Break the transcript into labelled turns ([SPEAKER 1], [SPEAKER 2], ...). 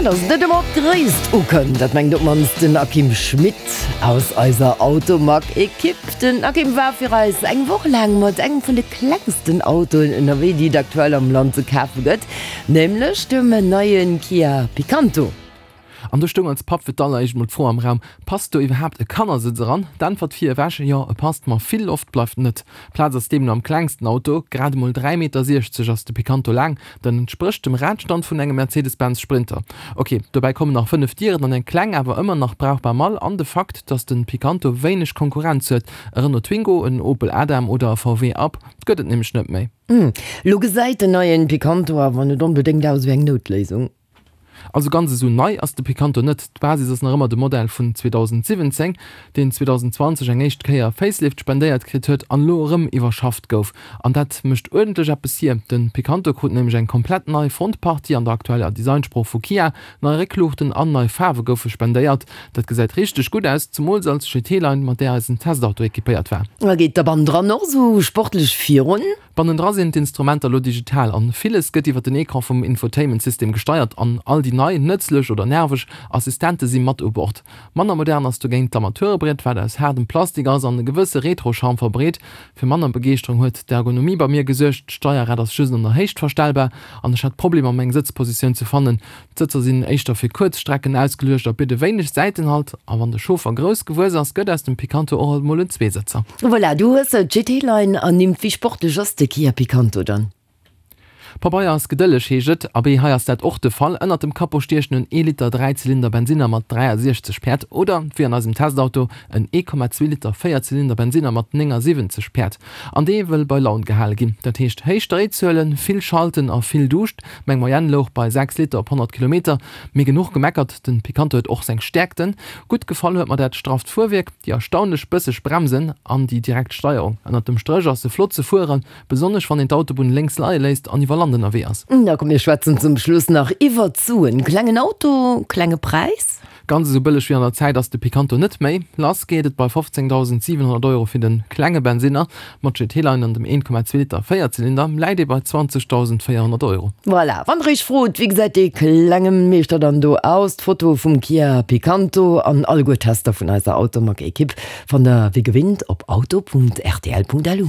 [SPEAKER 1] Dass et net ëmmer op d'Gréisst ukënnt, dat mengt op d'mannst den Akim Schmit aus eiser Automag-Ekipp. Den Akim war fir eis eng Woch laang mat engem vun de klengsten Autoen ënnerwee, déi et aktuell am Land ze kafe gëtt, nämlech dem neie Kia Picanto.
[SPEAKER 2] An do stoung als Papp fir d'alleréischt mol d'Fro am Raum, Passt do iwwerhaapt e Kannersëtz eran? D'Äntwert vir ewech, Jo, e passt, ma vill Loft bleift net. Plaz ass deemno am klengsten Auto, grad emol 3,60 Meter ass de Picanto laang, dat entsprécht dem Radstand vun engem Mercedes-Benz Sprinter. Ok, dobäi kommen nach 5 Dieren an eng kleng, awer ëmmer nach brauchbar Mall an de Fakt, dass de Picanto wéineg Konkurrenz huet, e Renault Twingo, en Opel Adam oder e VW Up gëtt et nämlech net méi.
[SPEAKER 1] Lo gesäit den neien Picanto awer net onbedéngt aus ewéi eng Noutléisung.
[SPEAKER 2] Also ganz esou nei ass de Picanto net, d'Basis ass nach ëmmer de Modell vun 2017, deen 2020 eng éischt Kéier Facelift spendéiert kritt huet an elo erëm iwwerschafft gouf. An dat mécht uerdentlech eppes hier, de Picanto krut nämlech eng komplett nei Frontpartie an der aktueller Designsprooch vu Kia, nei Réckluuchten an nei Faarwe goufe spendéiert. Dat gesäit richteg gutt aus, zemools als GT-Line, mat där eisen Testauto equipéiert war.
[SPEAKER 1] A geet da bannendran och esou sportlech virun?
[SPEAKER 2] Bannendra sinn d'Instrumenter elo digital an villes gëtt iwwer den Ecran vum Infotainment-System gesteiert an all déi nei, nëtzlech oder nerveg, Assistente si mat u Bord. Manner modern ass dogéint d'Armaturebriet, wat aus haardem Plastik ass an e gewësse Retro-Charme verbreet. Fir manner Begeeschterung huet d'Ergonomie bei mir gesuergt, d'Steierrad ass just an der Héicht verstellbar an ech hat Problemer meng Sëtzpositioun ze fannen. D'Sëtzer sinn éischter fir kuerz Strecken ausgeluecht a bidde wéineg Säitenhalt. A wann de Chauffer grouss gewuess ass, gëtt aus dem Picanto och alt mol en Zweesëtzer.
[SPEAKER 1] Voilà, du hues se, d'GT-Line ernimmt. Wéi sportlech ass de Kia Picanto dann?
[SPEAKER 2] Pabeier ass gedëlleg, heescht et. Abee, hei ass dat och de Fall. Ënnert dem Capot stiechen en ee Liter Dräizylinder Bensinner mat 63 Päerd oder, wéi an eisem Testauto, en 1,2 Liter Véierzylinder Bensinner mat 79 Päerd. An dee wëll bei Laun gehale ginn. Dat heescht héich Dréizuelen, vill Schalten a vill Duuscht. Meng Moyenne louch bei 6 Liter op 100 Kilometer. Mee genuch gemeckert, den Picanto huet och seng Stäerkten. Gutt gefall huet mer dat strafft Fuerwierk, déi erstaunlech bësseg Bremsen an déi direkt Steierung. Ënnert dem Stréch ass se flott ze fueren, besonnesch wann een d'Autobunn lénks leie léisst an iwwer Land ënnerwee ass.
[SPEAKER 1] Da komm mir schwätzen zum Schluss nach iwwert d'Suen. Klengen Auto, klenge Präis?
[SPEAKER 2] Ganz esou bëlleg wéi an der Zäit ass de Picanto net méi. Lass geet et bei 15.700 Euro fir de klenge Bensinner. Mat GT-Line an dem 1,2 Liter Véierzylinder läit ee bei 20.400 Euro.
[SPEAKER 1] Voilà, wann der iech frot, wéi gesäit dee klenge Meeschter dann do aus, d'Foto vum Kia Picanto an alleguer Tester vun eiser Automag-Ekipp fannt der wéi gewinnt op auto.rtl.lu.